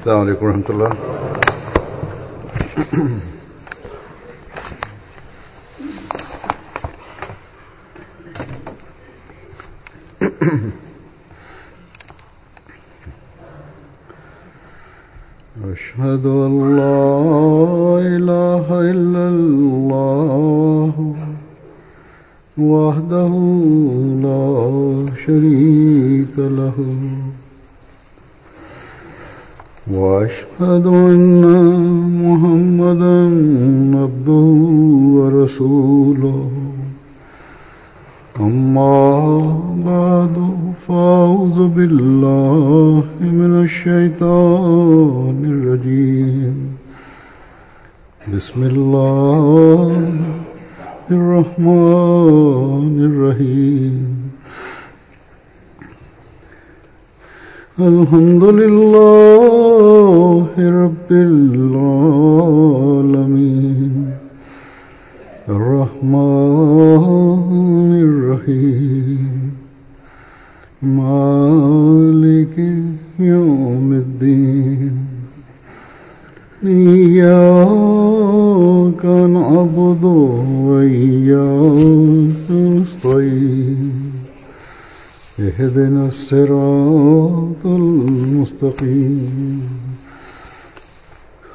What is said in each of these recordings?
السلام عليڪم ورحمة الله. أشهد أن لا إله إلا الله وحده لا شريك له وأشهد أن محمدا عبده ورسوله أما بعد فأعوذ بالله من الشيطان الرجيم بسم الله الرحمن الرحيم الحمد لله رب العالمين الرحمن الرحيم مالك يوم الدين إياك نعبد وإياك نستعين اهدنا الصراط المستقيم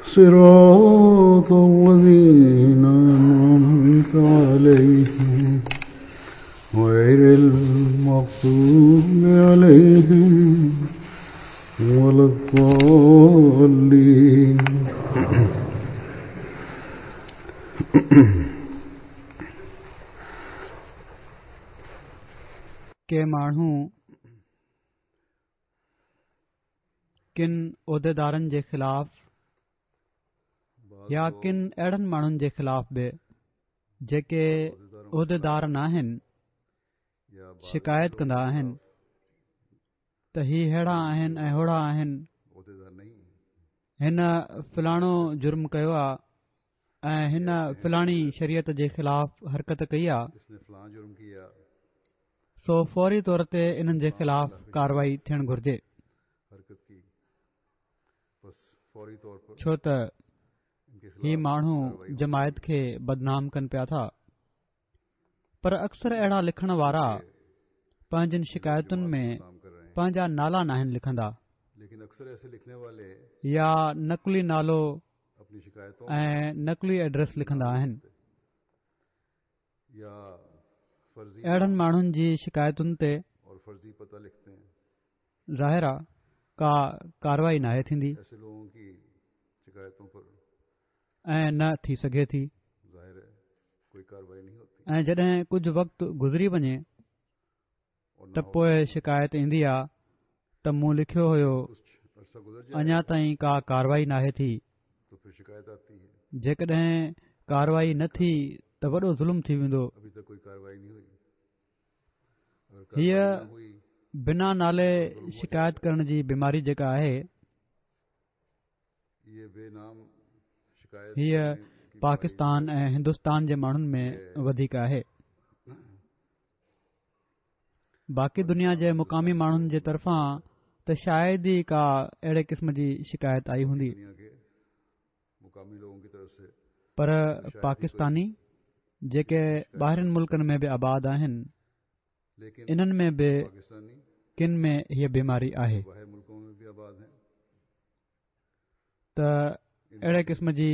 صراط الذين أنعمت عليهم غير المغضوب عليهم ولا الضالين. ڪي ماڻهو ڪن عهديدارن جي خلاف يا ڪن اهڙن ماڻهن جي خلاف به جيڪي عهديدار ناهن شڪايت ڪندا آهن ته هي ههڙا آهن ۽ هوڙا آهن، هن فلاڻو جرم ڪيو آ ۽ هن فلاڻي شريعت جي خلاف حرڪت ڪئي آ، سو فوري طور تي انهن جي خلاف ڪارروائي ٿيڻ گهرجي. ڇو ته هي ماڻهو جماعت کي بدنام ڪن پيا ٿا. پر اڪثر اهڙا لکڻ وارا پنهنجين شڪايتن ۾ پنهنجا نالا ناهن لکندا يا نقلي نالو ۽ نقلي ايڊريس لکندا آهن. اهڙن ماڻهن جي شڪايتن تي ظاهر آ ڪا ڪارروائي ناهي ٿيندي ۽ نه ٿي سگهي ٿي ۽ جڏهن ڪجهه وقت گذري وڃي ته پوء شڪايت ايندي آ ته مون لکيو هيو اڃا تائين ڪا ڪارروائي ناهي ٿي جيڪڏهن ڪارروائي نه ٿي ته وڏو ظلم ٿي ويندو. هيء بنا نالي شڪايت ڪرڻ جي بيماري جيڪا آهي هيء پاڪستان ۽ هندستان جي ماڻهن ۾ وڌيڪ آهي. باقي دنيا جي مقامي ماڻهن جي طرفان ته شايد ئي ڪا اهڙي قسم جي شڪايت آئي هوندي. پر پاڪستاني جيڪي ٻاهرين ملڪن ۾ به آباد آهن انهن ۾ به ڪن ۾ هيء بيماري آهي ته اهڙي قسم جي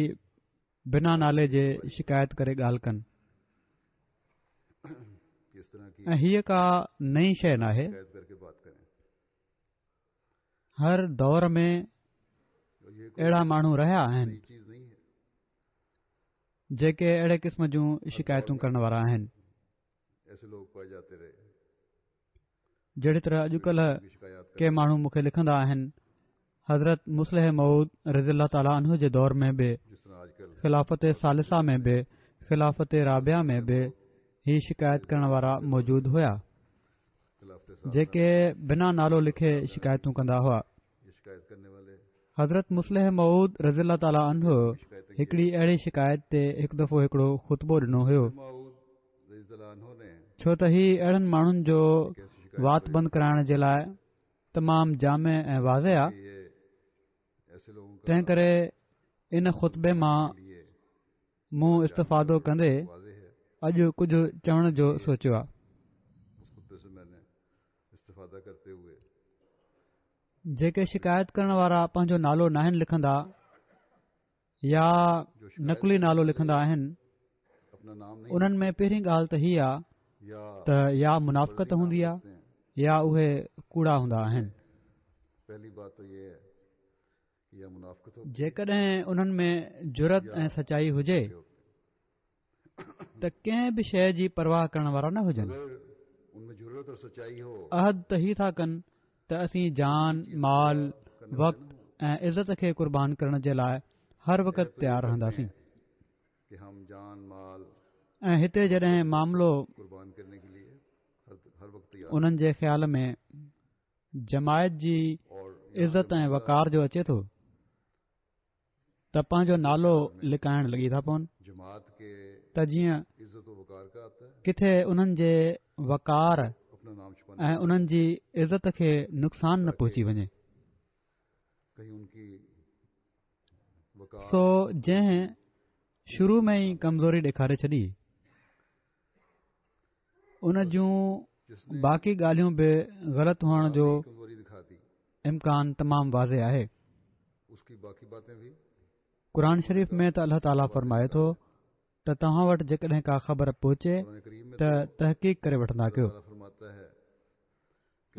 بنا نالي جي شڪايت ڪري ڳالهه ڪن ۽ هيء ڪا نئين شيء ناهي. هر دور ۾ اهڙا ماڻهو رهيا آهن جيڪي اهڙي قسم جون شڪايتون ڪرڻ وارا آهن جهڙي طرح اڄڪلهه ڪي ماڻهو مون کي لکندا آهن حضرت مصلح موعود رضي الله تعاليٰ عنه جي دور ۾ به خلافت ثالثه ۾ به خلافت رابعه ۾ به هي شڪايت ڪرڻ وارا موجود هيا جيڪي بنا نالو لکي شڪايتون ڪندا هئا. حضرت مصلح موعود رضي الله تعالٰي عنه هڪڙي اهڙي شڪايت تي هڪ دفعو هڪڙو خطبو ڏنو هيو. ڇو ته هي اهڙن ماڻهن جو وات بند ڪرائڻ جي لاء تمام جامع ۽ واضح آ. تنهن ڪري ان خطبي مان مون استفادو ڪندي اڄ ڪجهه چوڻ جو سوچيو آهي. جيڪي شڪايت ڪرڻ وارا پنهنجو نالو ناهن لکندا يا نقلي نالو لکندا آهن انهن ۾ پهرين ڳالهه ته هي آ ته يا منافقت هوندي آ يا اهي ڪوڙا هوندا آهن. جيڪڏهن انهن ۾ جرئت ۽ سچائي هجي ته ڪنهن به شيء جي پرواهه ڪرڻ وارا نه هجن. عهد ته هي ٿا ڪن ته اسين جان، مال، وقت ۽ عزت کي قربان ڪرڻ جي لاء هر وقت تيار رهنداسين ۽ هتي جڏهن معاملو انهن جي خيال ۾ جماعت جي عزت ۽ وقار جو اچي ٿو ته پنهنجو نالو لڪائڻ لڳي ٿا پون ته جيئن ڪٿي انهن جي وقار ۽ انهن جي عزت کي نقصان نه پهچي وڃي. سو جنهن شروع ۾ ئي ڪمزوري ڏيکاري ڇڏي ان جون باقي ڳالهيون به غلط هئڻ جو امڪان تمام واضح آهي. قرآن شريف ۾ ته الله تعاليٰ فرمائي ٿو ته توهان وٽ جيڪڏهن ڪا خبر پهچي ته تحقيق ڪري وٺندا ڪيو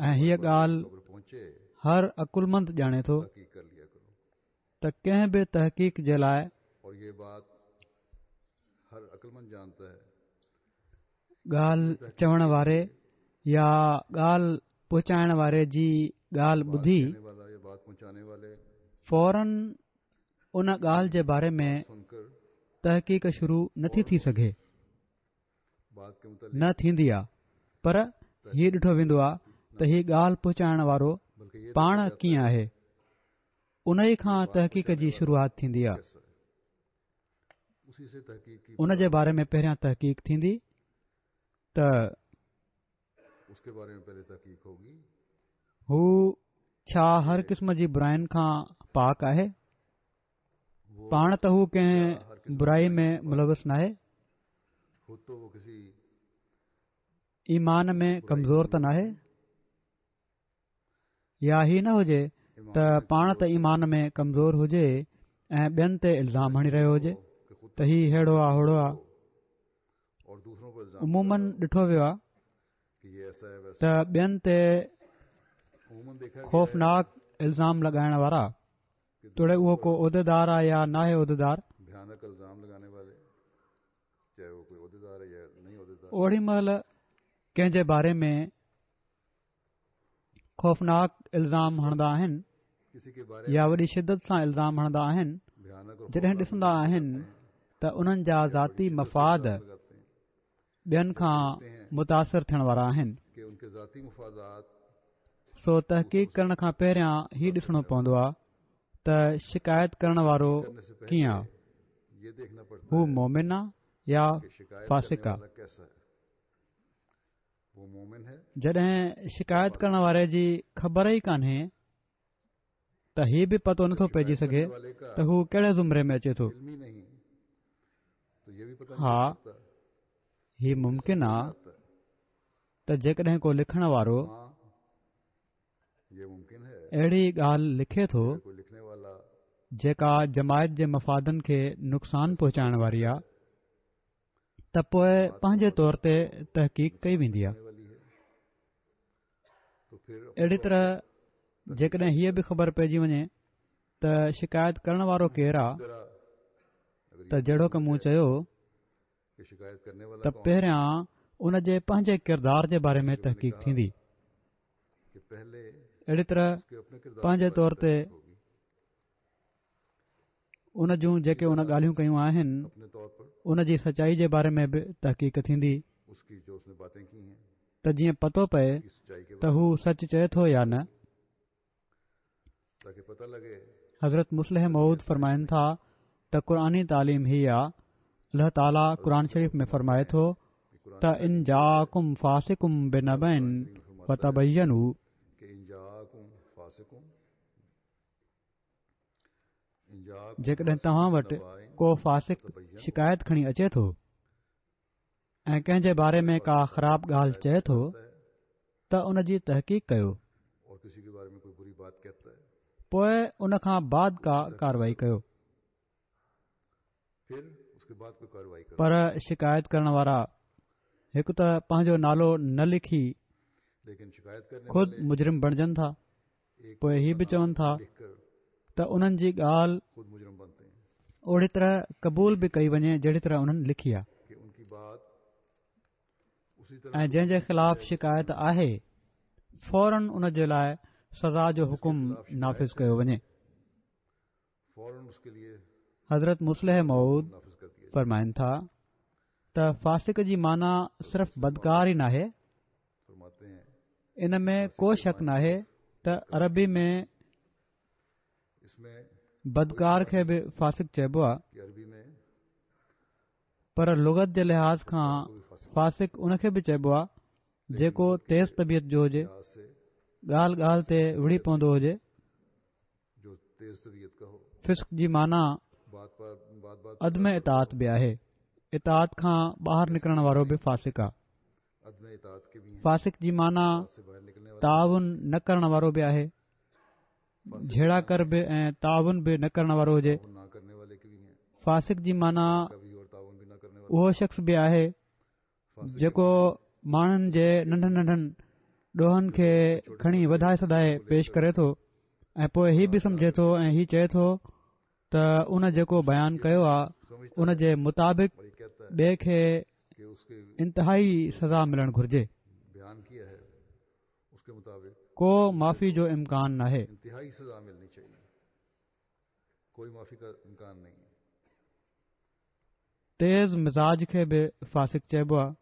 ۽ هيء ڳالهه هر عقلمند ڄاڻي ٿو ته ڪنهن به تحقيق جي لاء ڳالهه چوڻ واري يا ڳالهه پهچائڻ واري جي ڳالهه ٻڌي فورن ان ڳالهه جي باري ۾ تحقيق شروع نٿي ٿي سگهي نه ٿيندي آ پر هي ڏٺو ويندو آ ته هي ڳالهه پهچائڻ وارو پاڻ ڪيئن آهي انهي کان تحقيق جي شروعات ٿيندي آ ان جي باري ۾ پهريان تحقيق ٿيندي ته هو ڇا هر قسم جي براين کان پاڪ آهي؟ پاڻ ته هو ڪنهن برائي ۾ ملوث ناهي؟ ايمان ۾ ڪمزور ته ناهي؟ يا هي نه هجي ته پاڻ ته ايمان ۾ ڪمزور هجي ۽ ٻين تي الزام هڻي رهيو هجي ته هي ههڙو آ هوڙو آ. عموماً ڏٺو ويو آ ته ٻين تي خوفناڪ الزام لڳائڻ وارا توڙي اهو ڪو عهديدار آ يا ناهي عهديدار اوڏي مهل ڪنهن جي باري ۾ خوفناڪ الزام هڻندا آهن يا وڏي شدت سان الزام هڻندا آهن جڏهن ڏسندا آهن ته انهن جا ذاتي مفاد ٻين کان متاثر ٿيڻ وارا آهن سو تحقيق ڪرڻ کان پهريان هي ڏسڻو پوندو آهي ته شڪايت ڪرڻ وارو ڪيئن آهي هو مومن آ يا فاسق آ جڏهن شڪايت ڪرڻ واري جي خبر ئي ڪانهي ته هي به پتو نٿو پئجي سگهي ته هو ڪهڙي زمري ۾ اچي ٿو. ها هي ممڪن آ ته جيڪڏهن ڪو لکڻ وارو اهڙي ڳالهه لکي ٿو جيڪا جماعت جي مفادن کي نقصان پهچائڻ واري آ ته پوء پنهنجي طور تي تحقيق ڪئي ويندي آهي. اهڙي طرح جيڪڏهن هيء به خبر پئجي وڃي ته شڪايت ڪرڻ وارو ڪير آ ته جهڙوڪ مون چيو ته پهريان ان جي پنهنجي ڪردار جي باري ۾ تحقيق ٿيندي. اهڙي طرح پنهنجي طور تي ان جون جيڪي ان ڳالهيون ڪيون آهن ان جي سچائي جي باري ۾ به تحقيق ٿيندي ته جيئن پتو پئي ته هو سچ چئي ٿو يا نه. حضرت مصلح موعود فرمائن ٿا ته قرآني تعليم هي آ الله تعاليٰ قرآن شريف ۾ فرمائي ٿو ته ان جاءڪم فاسق بنبإ فتبينوا. جيڪڏهن توهان وٽ ڪو فاسق شڪايت کڻي اچي ٿو ۽ ڪنهن جي باري ۾ ڪا خراب ڳالهه چئي ٿو ته ان جي تحقيق ڪيو پوء ان کان بعد ڪا ڪارروائي ڪيو پر شڪايت ڪرڻ وارا هڪ ته پنهنجو نالو نه لکي خود مجرم بڻجن ٿا پوء هي به چون ٿا ته انهن جي ڳالهه اوڙي طرح قبول به ڪئي وڃي جهڙي طرح انهن لکي آهي ۽ جنهن جي خلاف شڪايت آهي فورن ان جي لاء سزا جو حڪم نافذ ڪيو وڃي. حضرت مصلح موعود فرمائن ٿا ته فاسق جي معنيٰ صرف بدڪار ئي ناهي ان ۾ ڪو شڪ ناهي ته عربي ۾ بدڪار کي به فاسق چئبو آهي پر لغت جي لحاظ کان فاسق ان کي به چئبو آهي جيڪو تيز طبيعت جو هجي، ڳالهه ڳالهه تي وڙهي پوندو هجي. فسق جي معنيٰ عدم اطاعت به آهي. اطاعت کان ٻاهر نڪرڻ وارو به فاسق آهي. فاسق جي معنيٰ تعاون نه ڪرڻ وارو به آهي. جهيڙا ڪر به ۽ تعاون به نه ڪرڻ وارو هجي. فاسق جي معنيٰ اهو شخص به آهي جيڪو ماڻهن جي ننڍن ننڍن ڏوهن کي کڻي وڌائي چڙهائي پيش ڪري ٿو ۽ پوء هي به سمجهي ٿو ۽ هي چئي ٿو ته ان جيڪو بيان ڪيو آهي ان جي مطابق ٻئي کي انتهائي سزا ملڻ گهرجي. ڪو معافي جو امڪان ناهي. تيز مزاج کي به فاسق چئبو آهي.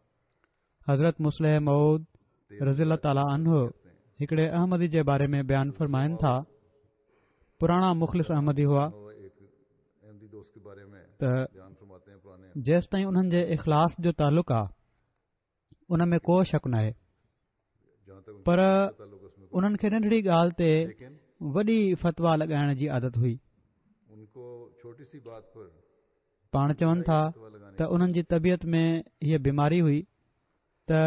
حضرت مصلح موعود رضي الله تعالٰي عنه هڪڙي احمدي جي باري ۾ بيان فرمائن ٿا، پراڻا مخلص احمدي هئا ته جيستائين انهن جي اخلاص جو تعلق آهي ان ۾ ڪو شڪ ناهي پر انهن کي ننڍڙي ڳالهه تي وڏي فتويٰ لڳائڻ جي عادت هئي. پاڻ چون ٿا ته انهن جي طبيعت ۾ هيء بيماري هئي ته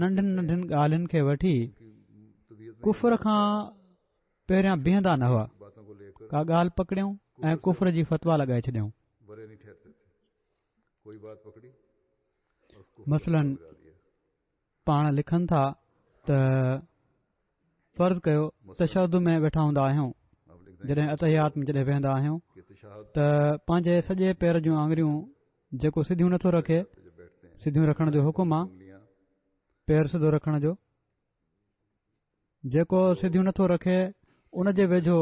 ننڍين ننڍين ڳالهين کي وٺي ڪفر کان پهريان بيهندا نه هئا، ڪا ڳالهه پڪڙيون ۽ ڪفر جي فتويٰ لڳائي ڇڏيائون. مثلاً پاڻ لکن ٿا ته فرض ڪيو تشهد ۾ ويٺا هوندا آهيون جڏهن التحيات ۾ جڏهن ويهندا آهيون ته پنهنجي سڄي پير جون آڱريون جيڪو سڌيون نٿو رکي سڌيون رکڻ جو حڪم آ پير سڌو رکڻ جو جيڪو سڌيون نٿو رکي ان جي ويجهو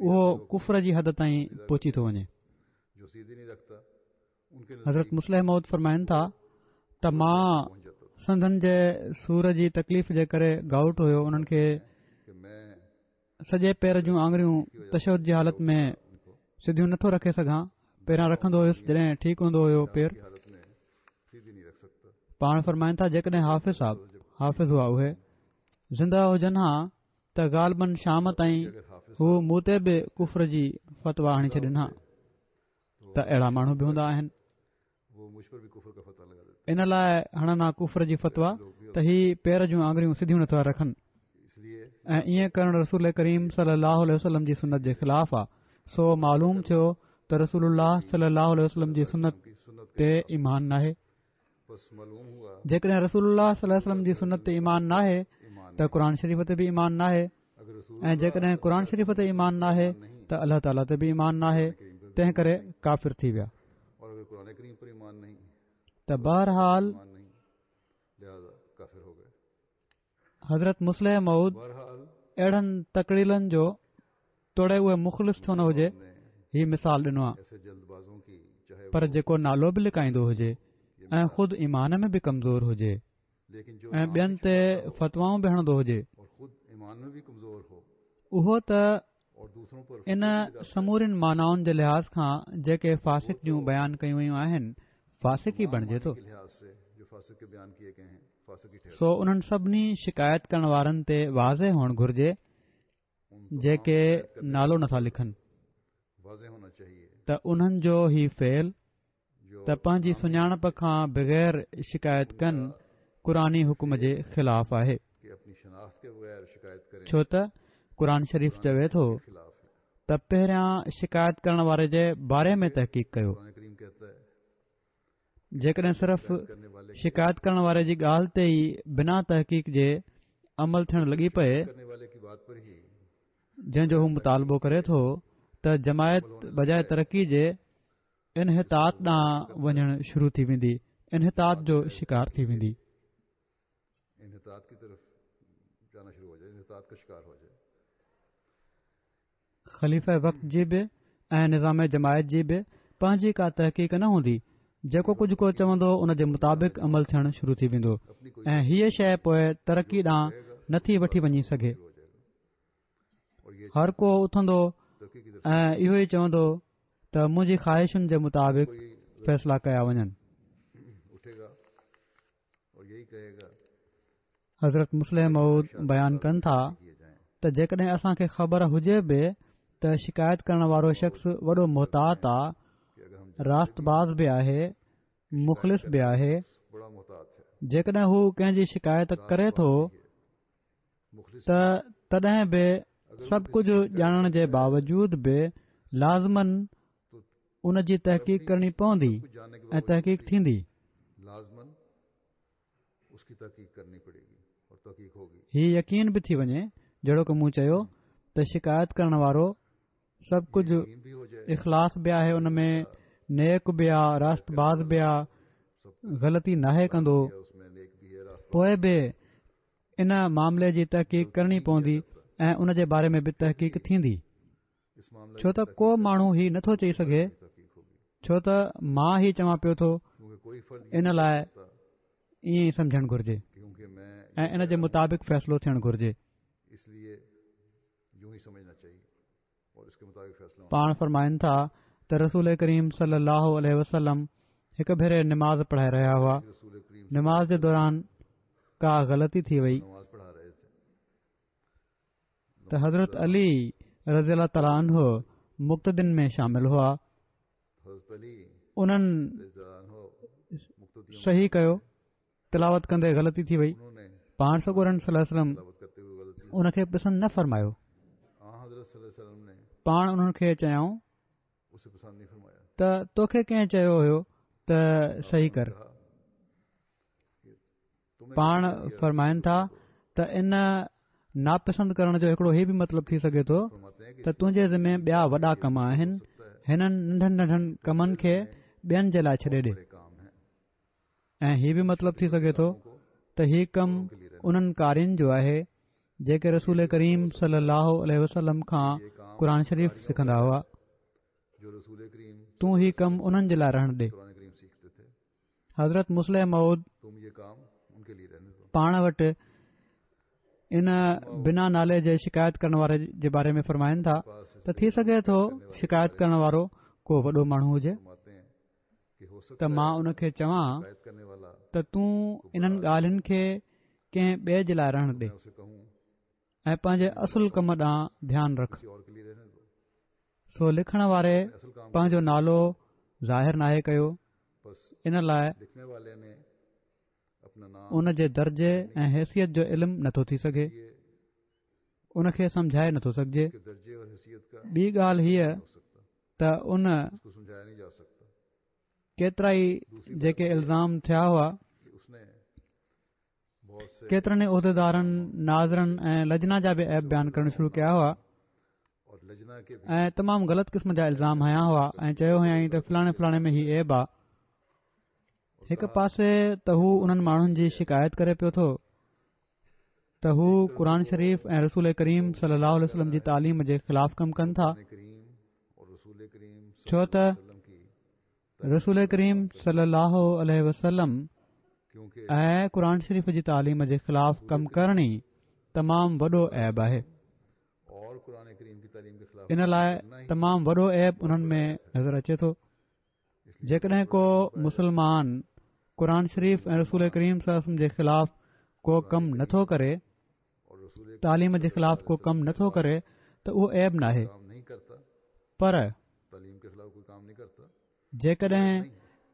اهو ڪفر جي حد تائين پهچي ٿو وڃي. حضرت مصلح موعود فرمائن ٿا ته مان سنڌن جي سور جي تڪليف جي ڪري گائوٽ هيو انهن کي سڄي پير جون آڱريون تشهد جي حالت ۾ سڌيون نٿو رکي سگهان پهريان رکندو هيس جڏهن ٺيڪ هوندو هيو پير پاڻ فرمائن ٿا جيڪڏهن حافظ صاحب حافظ هئا اهي زنده هجن ها ته غالباً شام تائين هو مون تي به ڪفر جي فتويٰ هڻي ڇڏين ها ته اهڙا ماڻهو به هوندا آهن ان لاء هڻن ها ڪفر جي فتويٰ ته هي پير جون آڱريون سڌيون نٿا رکن ۽ ائين ڪرڻ رسول ڪريم صلي الله عليه وسلم جي سنت جي خلاف آ سو معلوم ٿيو ته رسول الله صلي الله عليه وسلم جي سنت تي ايمان ناهي جيڪڏهن رسول الله صلي الله عليه وسلم جي سنت تي ايمان ناهي ته قرآن شريف تي به ايمان ناهي ۽ جيڪڏهن قرآن شريف تي ايمان ناهي ته الله تعاليٰ تي به ايمان ناهي تنهن ڪري ڪافر ٿي ويا ته بهرحال حضرت مصلح موعود اهڙن تڪڙيلن جو توڙي اهي مخلص ڇو نه هجي هي مثال ڏنو آهي پر جيڪو نالو به لڪائيندو هجي ۽ خود ايمان ۾ به ڪمزور هجي ۽ ٻين تي فتوائون به هڻندو هجي اهو ته ان سمورين معنائن جي لحاظ کان جيڪي فاسق جون بيان ڪيون ويون آهن فاسق ئي بڻجي ٿو. سو انهن سڀني شڪايت ڪرڻ وارن تي واضح هئڻ گهرجي جيڪي نالو نٿا لکن. ته انهن جو هي فعل ته پنهنجي سڃاڻپ کان بغير شڪايت ڪن قرآني حڪم جي خلاف آهي. ڇو ته قرآن شريف چوي ٿو ته پهريان شڪايت ڪرڻ واري جي باري ۾ تحقيق ڪيو. جيڪڏهن صرف شڪايت ڪرڻ واري جي ڳالهه تي ئي بنا تحقيق جي عمل ٿيڻ لڳي پئي جنهن جو هو مطالبو ڪري ٿو ته جماعت بجاء ترقي جي انحطاط ڏانهن وڃڻ شروع ٿي ويندي، انحطاط جو شڪار ٿي ويندي. خليفه وقت جي به ۽ نظام جماعت جي به پنهنجي ڪا تحقيق نه هوندي، جيڪو ڪجهه ڪو چوندو ان جي مطابق عمل ٿيڻ شروع ٿي ويندو ۽ هيء شيء پوء ترقي ڏانهن نٿي وٺي وڃي سگهي. هر ڪو اٿندو ۽ اهو ئي چوندو ته منهنجي خواهشن جي مطابق فيصلا ڪيا وڃن. حضرت مصلح موعود بيان ڪن ٿا ته جيڪڏهن اسان کي خبر هجي به ته شڪايت ڪرڻ وارو شخص وڏو محتاط آ، راست باز به آهي، مخلص به آهي، جيڪڏهن هو ڪنهن جي شڪايت ڪري ٿو ته تڏهن به سڀ ڪجهه ڄاڻڻ جي باوجود به لازماً ان جي تحقيق ڪرڻي پوندي ۽ تحقيق ٿيندي. هي يقين به ٿي وڃي جهڙوڪ مون چيو ته شڪايت ڪرڻ وارو سڀ ڪجهه اخلاص به آهي ان ۾ نيڪ به آ راست باز به آ غلطي ناهي ڪندو پوء به ان معاملي جي تحقيق ڪرڻي پوندي ۽ ان جي باري ۾ به تحقيق ٿيندي ڇو ته ڪو ماڻهو هي نٿو چئي سگهي ڇو ته مان هي چوان پيو ٿو ان لاء ائين ئي سمجهڻ گهرجي ۽ ان جي مطابق فيصلو ٿيڻ گهرجي. پاڻ فرمائن ٿا ته رسول ڪريم صلي الله عليه وسلم هڪ ڀيري نماز پڙهائي رهيا هئا نماز جي دوران ڪا غلطي ٿي وئي ته حضرت علي رضي الله تعاليٰ عنه مقتدين ۾ شامل هئا انهن صحيح ڪيو تلاوت ڪندي غلطي ٿي وئي پاڻ سڳورن صلي الله عليه وسلم ان کي پسند نه فرمايو پاڻ انهن کي چيائون ته توکي ڪنهن چيو هيو ته صحيح ڪر پاڻ فرمائن ٿا ته ان ناپسند ڪرڻ جو هڪڙو هي به مطلب ٿي سگهي ٿو ته تنهنجي ذمي ٻيا وڏا ڪم آهن هنن ننڍن ننڍن ڪمن کي ٻين جي لاء ڇڏي ڏي ۽ هي به مطلب ٿي سگهي ٿو ته هي ڪم انهن قارين جو آهي جيڪي رسول ڪريم صلي الله عليه وسلم کان قرآن شريف سکندا هئا تون هي ڪم انهن جي لاء رهڻ ڏي حضرت مصلح موعود پاڻ وٽ ان بنا نالي جي شڪايت ڪرڻ واري جي باري ۾ فرمائن ٿا ته ٿي سگهي ٿو شڪايت ڪرڻ وارو ڪو وڏو ماڻهو هجي ته مان ان کي چوان ته تون انهن ڳالهين کي ڪنهن ٻئي جي لاء رهڻ ڏي ۽ پنهنجي اصل ڪم ڏانهن ڌيان رک سو لکڻ واري پنهنجو نالو ظاهر ناهي ڪيو ان لاء ان جي درجي ۽ حيثيت جو علم نٿو ٿي سگهي ان کي سمجهائي نٿو سگهجي ٻي ڳالهه هيء ته ان ڪيترائي جيڪي الزام ٿيا هئا ڪيترن ئي عهديدارن ناظرن ۽ لجنا جا به عيب بيان ڪرڻ شروع ڪيا هئا ۽ تمام غلط قسم جا الزام هنيا هئا ۽ چيو هيائين ته فلاڻي فلاڻي ۾ هي عيب آ هڪ پاسي ته هو انهن ماڻهن جي شڪايت ڪري پيو ٿو ته هو قرآن شريف ۽ رسول ڪريم صلي الله عليه وسلم جي تعليم جي خلاف ڪم ڪن ٿا ڇو ته رسول ڪريم صلي الله عليه وسلم ۽ قرآن شريف جي تعليم جي خلاف ڪم ڪرڻ ئي تمام وڏو عيب آهي ان لاء تمام وڏو عيب انهن ۾ نظر اچي ٿو جيڪڏهن ڪو مسلمان قرآن شريف ۽ رسول ڪريم صلي الله عليه وسلم جي خلاف ڪو ڪم نٿو ڪري تعليم جي خلاف ڪو ڪم نٿو ڪري ته اهو عيب ناهي پر جيڪڏهن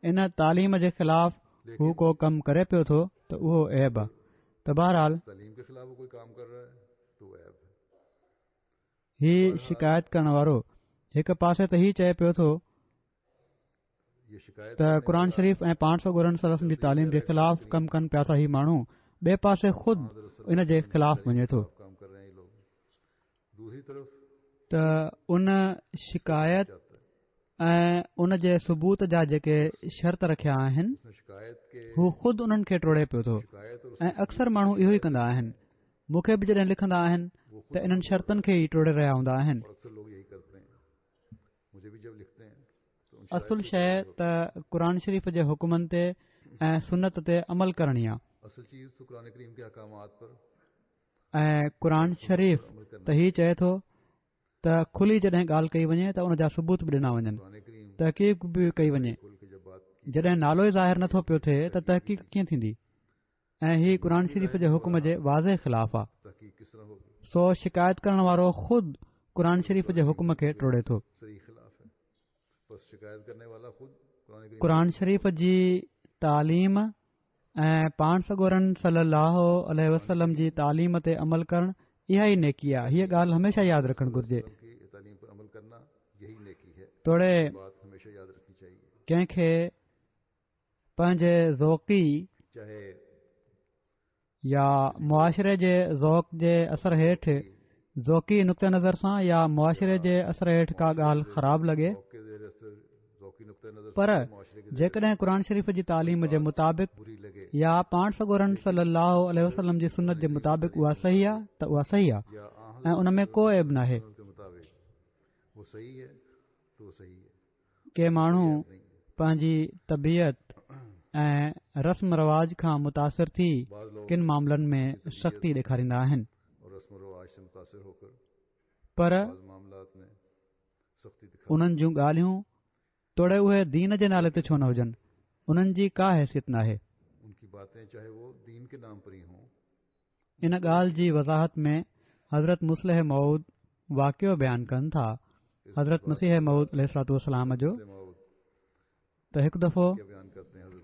ان تعليم جي خلاف هو ڪو ڪم ڪري پيو ٿو ته اهو عيب آ ته بهرحال هي شڪايت ڪرڻ وارو هڪ پاسي ته هي چئي پيو ٿو ته قرآن شريف ۽ پاڻ سڳورن صلي الله عليه وسلم جي تعليم جي خلاف ڪم ڪن پيا ٿا هي ماڻهو ٻئي پاسي خود ان جي خلاف وڃي ٿو ته ان شڪايت ۽ ان جي ثبوت جا جيڪي شرط رکيا آهن هو خود انهن کي ٽوڙي پيو ٿو ۽ اڪثر ماڻهو اهو ئي ڪندا آهن مون کي به جڏهن لکندا آهن ته انهن شرطن کي ئي ٽوڙي رهيا هوندا آهن اصل شيء ته قرآن شريف جي حڪمن تي ۽ سنت تي عمل ڪرڻ ئي آ. ۽ قرآن شريف ته هي چئي ٿو ته کلي جڏهن ڳالهه ڪئي وڃي ته ان جا ثبوت به ڏنا وڃن، تحقيق به ڪئي وڃي. جڏهن نالو ئي ظاهر نٿو پيو ٿئي ته تحقيق ڪيئن ٿيندي؟ ۽ هي قرآن شريف جي حڪم جي واضح خلاف آ. سو شڪايت ڪرڻ وارو خود قرآن شريف جي حڪم کي ٽوڙي ٿو. قرآن شريف جي تعليم ۽ پاڻ سڳورن صلي الله عليه وسلم جي تعليم تي عمل ڪرڻ اها ئي نيڪي آ. هيء ڳالهه هميشه ياد رکڻ گهرجي. توڙي ڪنهن کي پنهنجي ذوقي يا معاشري جي ذوق جي اثر هيٺ ذوقي نقطه نظر سان يا معاشري جي اثر هيٺ ڪا ڳالهه خراب لڳي پر جيڪڏهن قرآن شريف جي تعليم جي مطابق يا پاڻ سڳورن صلي الله عليه وسلم جي سنت جي مطابق اها صحيح آهي ته اها صحيح آهي ۽ ان ۾ ڪو عيب ناهي. ڪي ماڻهو پنهنجي طبيعت ۽ رسم رواج کان متاثر ٿي ڪن معاملن ۾ سختي ڏيکاريندا آهن پر انهن جون ڳالهيون توڙي اهي دين جي نالي تي ڇو نه هجن انهن جي ڪا حيثيت ناهي. ان ڳالهه جي وضاحت ۾ حضرت مصلح موعود واقعو بيان ڪن ٿا حضرت مسيح موعود عليه الصلوة والسلام جو ته هڪ دفعو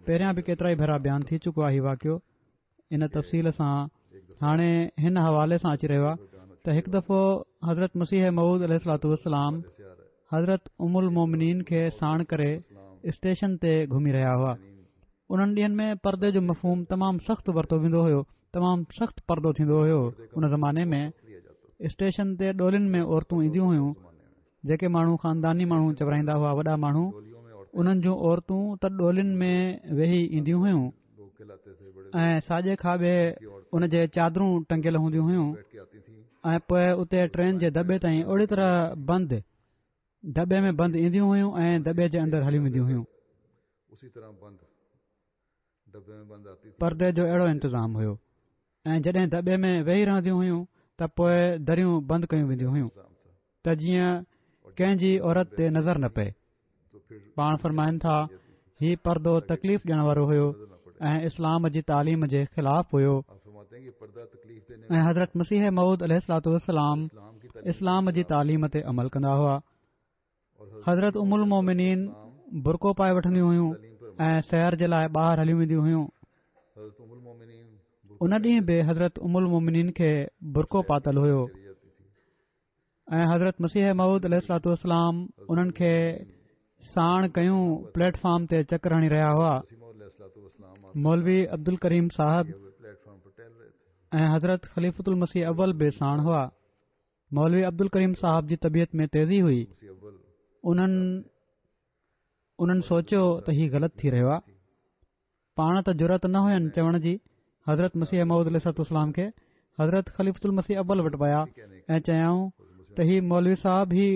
پهريان به ڪيترائي ڀيرا بيان ٿي چڪو آهي واقعو ان تفصيل سان هاڻي هن حوالي سان اچي رهيو آهي ته هڪ دفعو حضرت مسيح موعود عليه الصلوة والسلام حضرت ام المومنين کي ساڻ ڪري اسٽيشن تي گهمي رهيا هئا انهن ڏينهن ۾ پردي جو مفهوم تمام سخت ورتو ويندو هيو تمام سخت پردو ٿيندو هيو ان زماني ۾ اسٽيشن تي ڏولين ۾ عورتون اينديون هيون جيڪي ماڻهو خانداني ماڻهو چورائيندا هئا وڏا ماڻهو انهن جون عورتون ته ڏولين ۾ ويهي اينديون هيون ۽ ساڄي کاٻي ان جي چادرون ٽنگيل هونديون هيون ۽ پوء اتي ٽرين جي دٻي تائين اهڙي طرح بند دٻي ۾ بند اينديون هيون ۽ دٻي جي اندر هليون وينديون هيون. پردي جو اهڙو انتظام هيو ۽ جڏهن دٻي ۾ ويهي رهنديون هيون ته پوء دريون بند ڪيون وينديون هيون ته جيئن ڪنهن جي عورت تي نظر نه پئي. پاڻ فرمائن ٿا هي پردو تڪليف ڏيڻ وارو هيو ۽ اسلام جي تعليم جي خلاف هيو ۽ حضرت مسيح موعود عليه الصلوة والسلام اسلام جي تعليم تي عمل ڪندا هئا حضرت ام المومنين برقعو پائي وٺنديون هيون ۽ سير جي لاء ٻاهر هليون وينديون هيون ان ڏينهن به حضرت ام المومنين کي برقعو پاتل هيو ۽ حضرت مسيح موعود عليه الصلوة والسلام انهن کي ساڻ ڪيون پليٽ فارم تي چڪر هڻي رهيا هئا مولوي عبدالڪريم صاحب ۽ حضرت خليفة المسيح اول به ساڻ هئا مولوي عبدالڪريم صاحب جي طبيعت ۾ تيزي هئي انهن انهن سوچيو ته هي غلط ٿي رهيو آهي پاڻ ته جرئت نه هين چوڻ جي، حضرت مسيح موعود عليه الصلوة والسلام کي حضرت خليفة المسيح اول وٽ ويا ۽ چيائون ته هي مولوي صاحب هي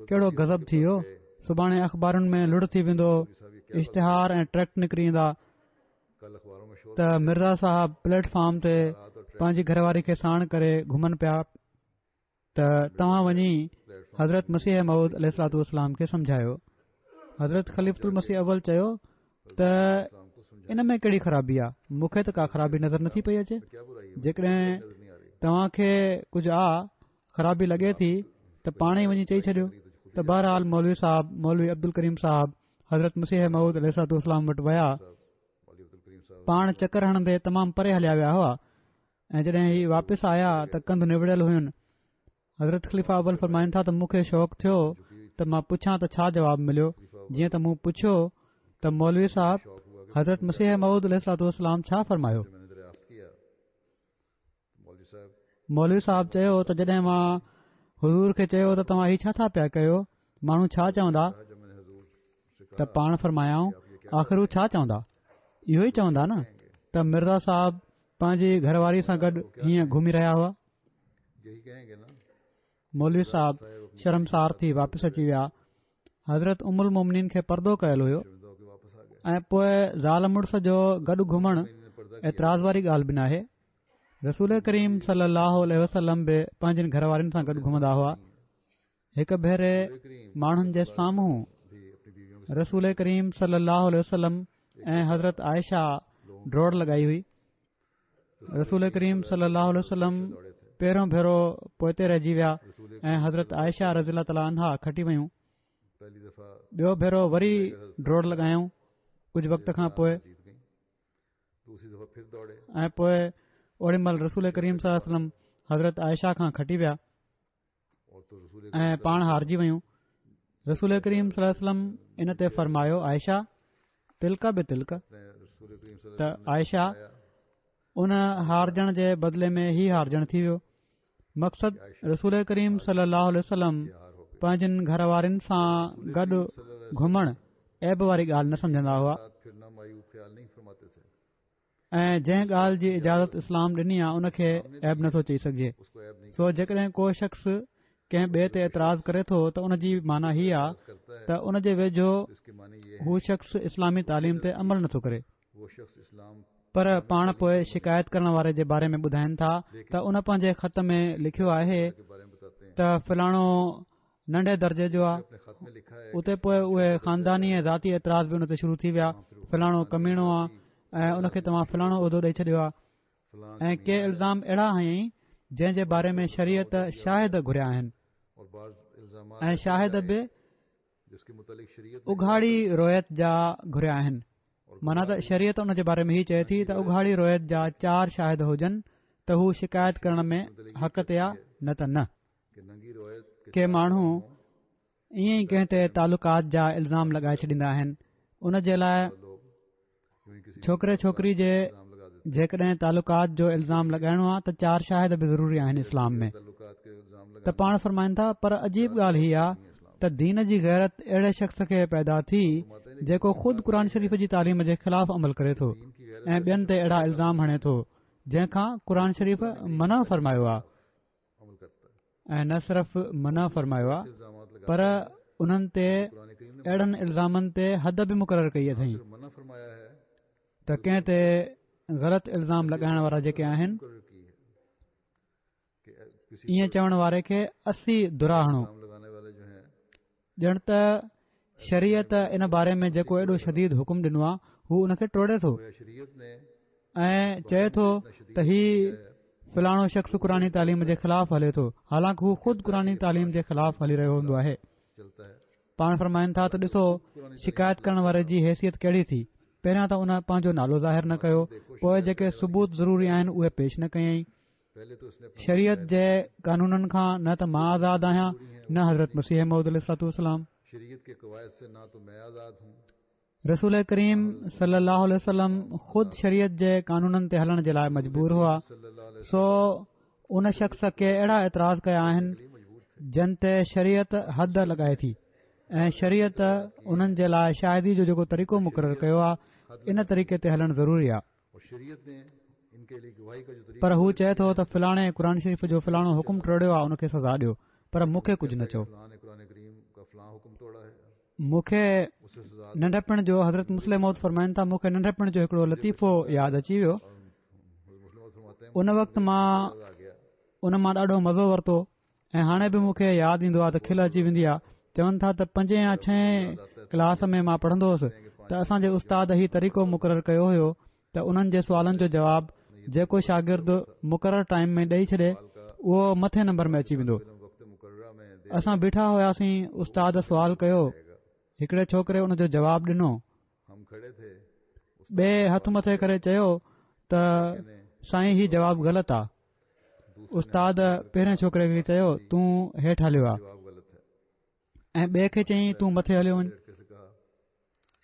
ڪهڙو غضب ٿي ويو، سڀاڻي اخبارن ۾ لڙ ٿي ويندو، اشتهار ۽ ٽريڪٽ نڪري ايندا ته مرزا صاحب پليٽ فارم تي پنهنجي گهر واري کي ساڻ ڪري گهمن پيا. ته توهان وڃي حضرت مسيح موعود عليه الصلوة والسلام کي سمجهايو حضرت خليفة المسيح اول چيو ته ان ۾ ڪهڙي خرابي آ مون کي ته ڪا خرابي نظر نٿي پئي اچي جيڪڏهن توهان کي ڪجهه آ خرابي لڳي ٿي ته پاڻ ئي وڃي چئي ڇڏيو ته بهرحال مولوي صاحب، مولوي عبدالڪريم صاحب، حضرت مسيح موعود عليه الصلوة والسلام وٽ ويا. پاڻ چڪر هڻندي تمام پري هليا ويا هئا ۽ جڏهن هي واپس آيا ته ڪنڌ نوڙيل هين. حضرت خليفه اول فرمائن ٿا ته مون کي شوق ٿيو ته مان پڇان ته ڇا جواب مليو. جيئن ته مون پڇيو ته مولوي صاحب حضرت مسيح موعود عليه الصلوة والسلام ڇا فرمايو؟ مولوي صاحب چيو ته جڏهن مان حضور کي چيو ته توهان هي ڇا ٿا پيا ڪيو ماڻهو ڇا چوندا ته پاڻ فرمايائون آخر هو ڇا چوندا اهو ئي چوندا نه ته مرزا صاحب پنهنجي گهر واري سان گڏ هيئن گهمي رهيا هئا مولوي صاحب شرمسار ٿي واپس اچي ويا. حضرت ام المومنين کي پردو ڪيل هيو ۽ پوء زال مڙس جو گڏ گهمڻ اعتراض واري ڳالهه به ناهي. رسول ڪريم صلي الله عليه وسلم به پنهنجين گهر وارين سان گڏ گهمندا هئا. هڪ ڀيري ماڻهن جي سامهون رسول ڪريم صلي الله عليه وسلم ۽ حضرت عائشه ڊوڙ لڳائي هئي. رسول ڪريم صلي الله عليه وسلم پهريون ڀيرو پوئتي رهجي ويا ۽ حضرت عائشه رضي الله تعالٰي عنها کٽي ويون ٻيو ڀيرو وري ڊوڙ لڳايائون ڪجهه وقت کان پوء ۽ پوء اوڏي مهل رسول ڪريم صلي الله عليه وسلم حضرت عائشه کان کٽي ويا ۽ پاڻ هارجي ويون رسول ڪريم صلي الله عليه وسلم ان تي فرمايو عائشه تلڪ بتلڪ ته عائشه ان هارجڻ جي بدلي ۾ هي هارجڻ ٿي ويو مقصد رسول ڪريم صلي الله عليه وسلم پنهنجن گهر وارين سان گڏ گهمڻ عيب واري ڳالهه نه سمجهندا هئا ۽ جنهن ڳالهه جي اجازت اسلام ڏني آهي ان کي عيب نٿو چئي سگهجي سو جيڪڏهن ڪو شخص ڪنهن ٻئي تي اعتراض ڪري ٿو ته ان جي معنيٰ هي آهي ته ان جي ويجهو هو شخص اسلامي تعليم تي عمل نٿو ڪري پر پاڻ پوء شڪايت ڪرڻ واري جي باري ۾ ٻڌائن ٿا ته ان پنهنجي خط ۾ لکيو آهي ته فلاڻو ننڍي درجي جو آ اتي پوء اهي خانداني ۽ ذاتي اعتراض به ان تي شروع ٿي ويا فلاڻو ڪميڻو آ ۽ ان کي توهان فلاڻو عهدو ڏئي ڇڏيو آ ۽ ڪي الزام اهڙا هنيائين جنهن جي باري ۾ شريعت شاهد گهريا آهن ۽ شاهد به اگهاڙي رويت جا گهريا آهن معنيٰ ته شريعت ان جي باري ۾ هي چئي ٿي ته اگهاڙي رويت جا چار شاهد هجن ته هو شڪايت ڪرڻ ۾ حق تي آ نه ته نه ڪي ماڻهو ائين ئي ڪنهن تي تعلقات جا الزام لڳائي ڇڏيندا آهن ان جي لاء ڇوڪري ڇوڪري جي جيڪڏهن تعلقات جو الزام لڳائڻو آهي ته چار شاهد به ضروري آهن اسلام ۾ ته پاڻ فرمائن ٿا پر عجيب ڳالهه هي آهي ته دين جي غيرت اهڙي شخص کي پيدا ٿي جيڪو خود قرآن شريف جي تعليم جي خلاف عمل ڪري ٿو ۽ ٻين تي اهڙا الزام هڻي ٿو جنهن کان قرآن شريف منع فرمايو آهي ۽ نه صرف منع فرمايو آهي پر انهن تي اهڙن الزامن تي حد به مقرر ڪئي اٿئي ته ڪنهن تي غلط الزام لڳائڻ وارا جيڪي آهن ائين چوڻ واري کي 80 درا هڻو ڄڻ ته شريعت ان باري ۾ جيڪو ايڏو شديد حڪم ڏنو آهي هو ان کي ٽوڙي ٿو ۽ چئي ٿو ته هي فلاڻو شخص قرآني تعليم جي خلاف هلي ٿو حالانڪ هو خود قرآني تعليم جي خلاف هلي رهيو هوندو آهي پاڻ فرمائن ٿا ته ڏسو شڪايت ڪرڻ واري جي حيثيت ڪهڙي ٿي پهريان ته ان پنهنجو نالو ظاهر نه ڪيو پوء جيڪي ثبوت ضروري آهن اهي پيش نه ڪيائين شريعت جي قانونن کان نه ته مان آزاد آهيان نه حضرت مسيح موعود عليه الصلوة والسلام. رسول ڪريم صلي الله عليه وسلم خود شريعت جي قانونن تي هلڻ جي لاء مجبور هئا سو ان شخص ڪي اهڙا اعتراض ڪيا آهن جن تي شريعت حد لڳائي ٿي ۽ شريعت انهن جي لاء شاهدي جو جيڪو طريقو مقرر ڪيو آهي ان طريقي تي هلڻ ضروري آهي پر هو چئي ٿو ته فلاڻي قرآن شريف جو فلاڻو حڪم ٽوڙيو آهي ان کي سزا ڏيو پر مون کي ڪجهه نه چئو. مون کي ننڍپڻ جو حضرت مصلح موعود فرمائن ٿا مون کي ننڍپڻ جو هڪڙو لطيفو ياد اچي ويو ان وقت مان ان مان ڏاڍو مزو ورتو ۽ هاڻي به مون کي ياد ايندو آهي ته کل اچي ويندي آهي. چون ٿا ته پنجين يا ڇهين ڪلاس ۾ مان پڙهندو هوس ته اسان جي استاد هي طريقو مقرر ڪيو هيو ته انهن جي سوالن جو جواب جيڪو شاگرد مقرر ٽائيم ۾ ڏئي ڇڏي اهو مٿين نمبر ۾ اچي ويندو. اسان بيٺا هياسين استاد سوال ڪيو هڪڙي ڇوڪري ان جو جواب ڏنو ٻئي هٿ مٿي ڪري چيو ته سائين هي جواب غلط آ استاد پهرين ڇوڪري کي چيو تون هيٺ هليو آ ۽ ٻئي کي چيائين تون مٿي هليو وڃ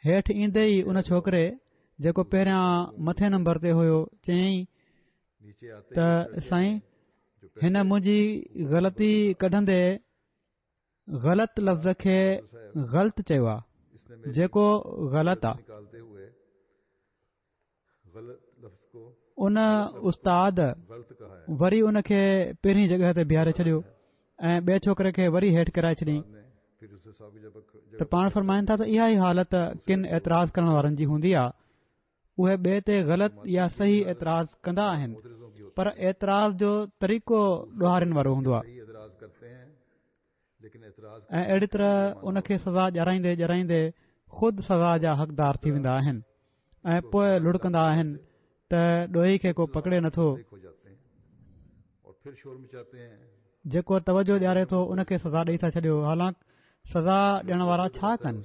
هيٺ ايندي ئي ان ڇوڪري جيڪو پهريان مٿي نمبر تي هيو چيائين ته سائين هن منهنجي غلطي ڪڍندي غلط لفظ کي غلط چيو آ جيڪو غلط آ ان استاد وري ان کي پهرين جڳهه تي بيهاري ڇڏيو ۽ ٻئي ڇوڪري کي وري هيٺ ڪرائي ڇڏيائين ته پاڻ فرمائن ٿا ته اها ئي حالت ڪن اعتراض ڪرڻ وارن جي هوندي آهي اهي ٻئي تي غلط يا صحيح اعتراض ڪندا آهن پر اعتراض جو طريقو ڏوهارين وارو هوندو آهي ۽ اهڙي طرح ان کي سزا ڏيارائيندي ڏيارائيندي خود سزا جا حقدار ٿي ويندا آهن ۽ پوء لڙڪندا آهن ته ڏوهي کي ڪو پڪڙي نٿو جيڪو توجه ڏياري ٿو ان کي سزا ڏئي ٿا ڇڏيو حالانڪ سزا ڏيڻ وارا ڇا ڪن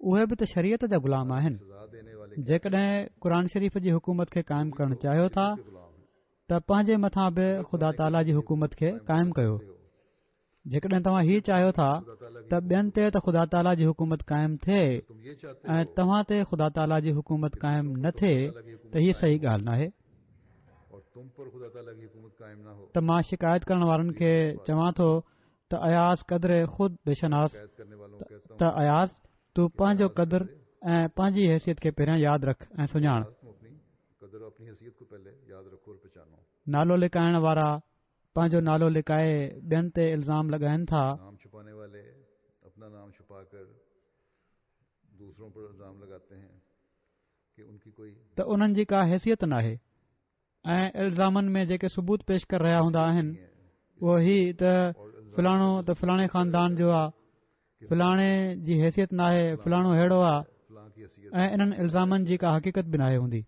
اهي به ته شريعت جا غلام آهن جيڪڏهن قرآن شريف جي حڪومت کي قائم ڪرڻ چاهيو ٿا ته پنهنجي مٿان به خدا تعاليٰ جي حڪومت کي قائم ڪيو جيڪڏهن توهان هي چاهيو ٿا ته ٻين تي ته خدا تعاليٰ جي حڪومت قائم ٿئي ۽ توهان تي خدا تعاليٰ جي حڪومت قائم نه ٿئي ته هي صحيح ڳالهه ناهي ته مان شڪايت ڪرڻ وارن کي چوان ٿو ته اياز قدر خود بشناس ته اياز تون پنهنجو قدر ۽ پنهنجي حيثيت کي پهريان ياد رک ۽ سڃاڻ نالو لڪائڻ وارا پنهنجو نالو لڪائي ٻين تي الزام لڳائن ٿا. ته انهن جي ڪا حيثيت ناهي ۽ الزامن ۾ جيڪي ثبوت پيش ڪري رهيا هوندا آهن اهو هي ته فلاڻو ته فلاڻي خاندان جو آ فلاڻي جي حيثيت ناهي فلاڻو ههڙو آ ۽ انهن الزامن جي ڪا حقيقت به ناهي هوندي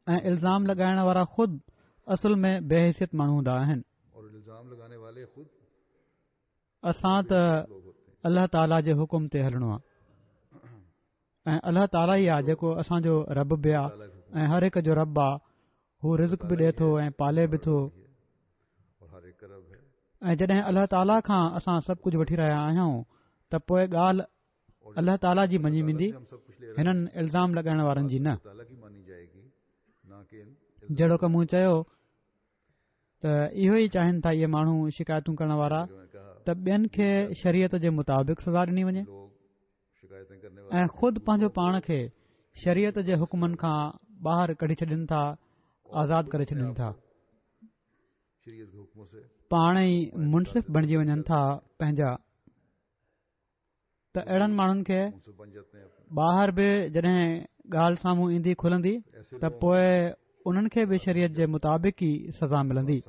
۽ الزام لڳائڻ وارا خود اصل ۾ بي حيثيت ماڻهو هوندا آهن اسان ته الله تعاليٰ جي حڪم تي هلڻو آ ۽ الله تعاليٰ ئي آ جيڪو اسان جو رب به آ ۽ هر هڪ جو رب آ هو رزق به ڏي ٿو ۽ پالي به ٿو ۽ جڏهن الله تعاليٰ کان اسان سڀ ڪجهه وٺي رهيا آهيون ته پوء ڳالهه الله تعاليٰ جي مڃي ويندي هنن الزام لڳائڻ وارن جي نه جهڙوڪ مون چيو ته اهو ئي چاهين ٿا اهي ماڻهو شڪايتون ڪرڻ وارا ته ٻين کي شريعت جي مطابق سزا ڏني وڃي ۽ خود پنهنجو پاڻ کي شريعت جي حڪمن کان ٻاهر ڪڍي ڇڏين ٿا آزاد ڪري ڇڏين ٿا پاڻ ئي منصف بڻجي وڃن ٿا پنهنجا ته اهڙن ماڻهن کي ٻاهر به جڏهن ڳالهه سامهون ايندي کلندي ته پوء انهن کي به شريعت جي مطابق ئي سزا ملندي.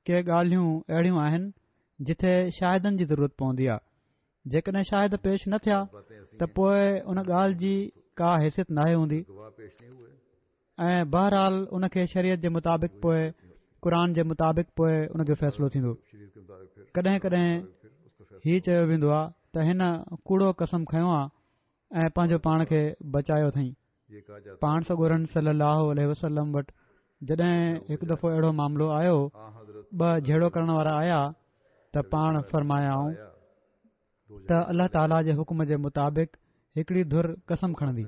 ڪي ڳالهيون اهڙيون آهن جتي شاهدن جي ضرورت پوندي آهي جيڪڏهن شاهد پيش نه ٿيا ته پوء ان ڳالهه جي ڪا حيثيت ناهي هوندي ۽ بهرحال ان کي شريعت جي مطابق پوء قرآن جي مطابق پوء ان جو فيصلو ٿيندو ڪڏهن ڪڏهن هي چيو ويندو آهي ته هن ڪوڙو قسم کنيو آهي ۽ پنهنجو پاڻ کي بچايو اٿئي پاڻ سڳورن صلي الله عليه وسلم وٽ جڏهن هڪ دفعو اهڙو معاملو آيو ٻه جهيڙو ڪرڻ وارا آيا ته پاڻ فرمايائون ته الله تعاليٰ جي حڪم جي مطابق هڪڙي ڌر قسم کڻندي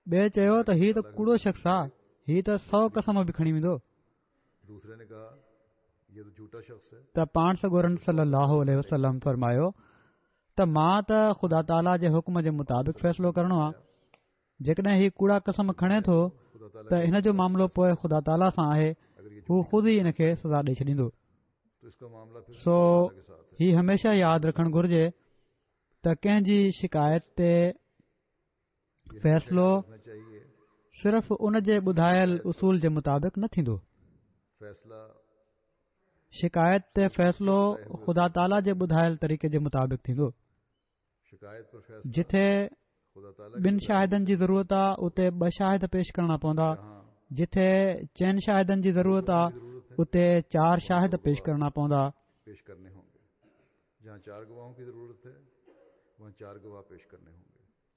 ٻئي چيو ته هي ته ڪوڙو شخص آ هي ته سو قسم به کڻي ويندو ته پاڻ سڳورن صلي الله عليه وسلم فرمايو ته مان ته خدا تعاليٰ جي حڪم جي مطابق فيصلو ڪرڻو آهي جيڪڏهن هي ڪوڙا قسم کڻي ٿو ته هن جو معاملو پوء خدا تعاليٰ سان آهي هو خود ئي ان کي سزا ڏئي ڇڏيندو سو هي هميشه ياد رکڻ گهرجي ته ڪنهن جي شڪايت تي فيصلو صرف ان جي ٻڌايل اصول جي مطابق نه ٿيندو. شڪايت تي فيصلو خدا تعاليٰ جي ٻڌايل طريقي جي مطابق ٿيندو. جتي ٻن شاهدن جي ضرورت آ اتي ٻه شاهد پيش ڪرڻا پوندا. جتي چئن شاهدن جي ضرورت آ اتي چار شاهد پيش ڪرڻا پوندا.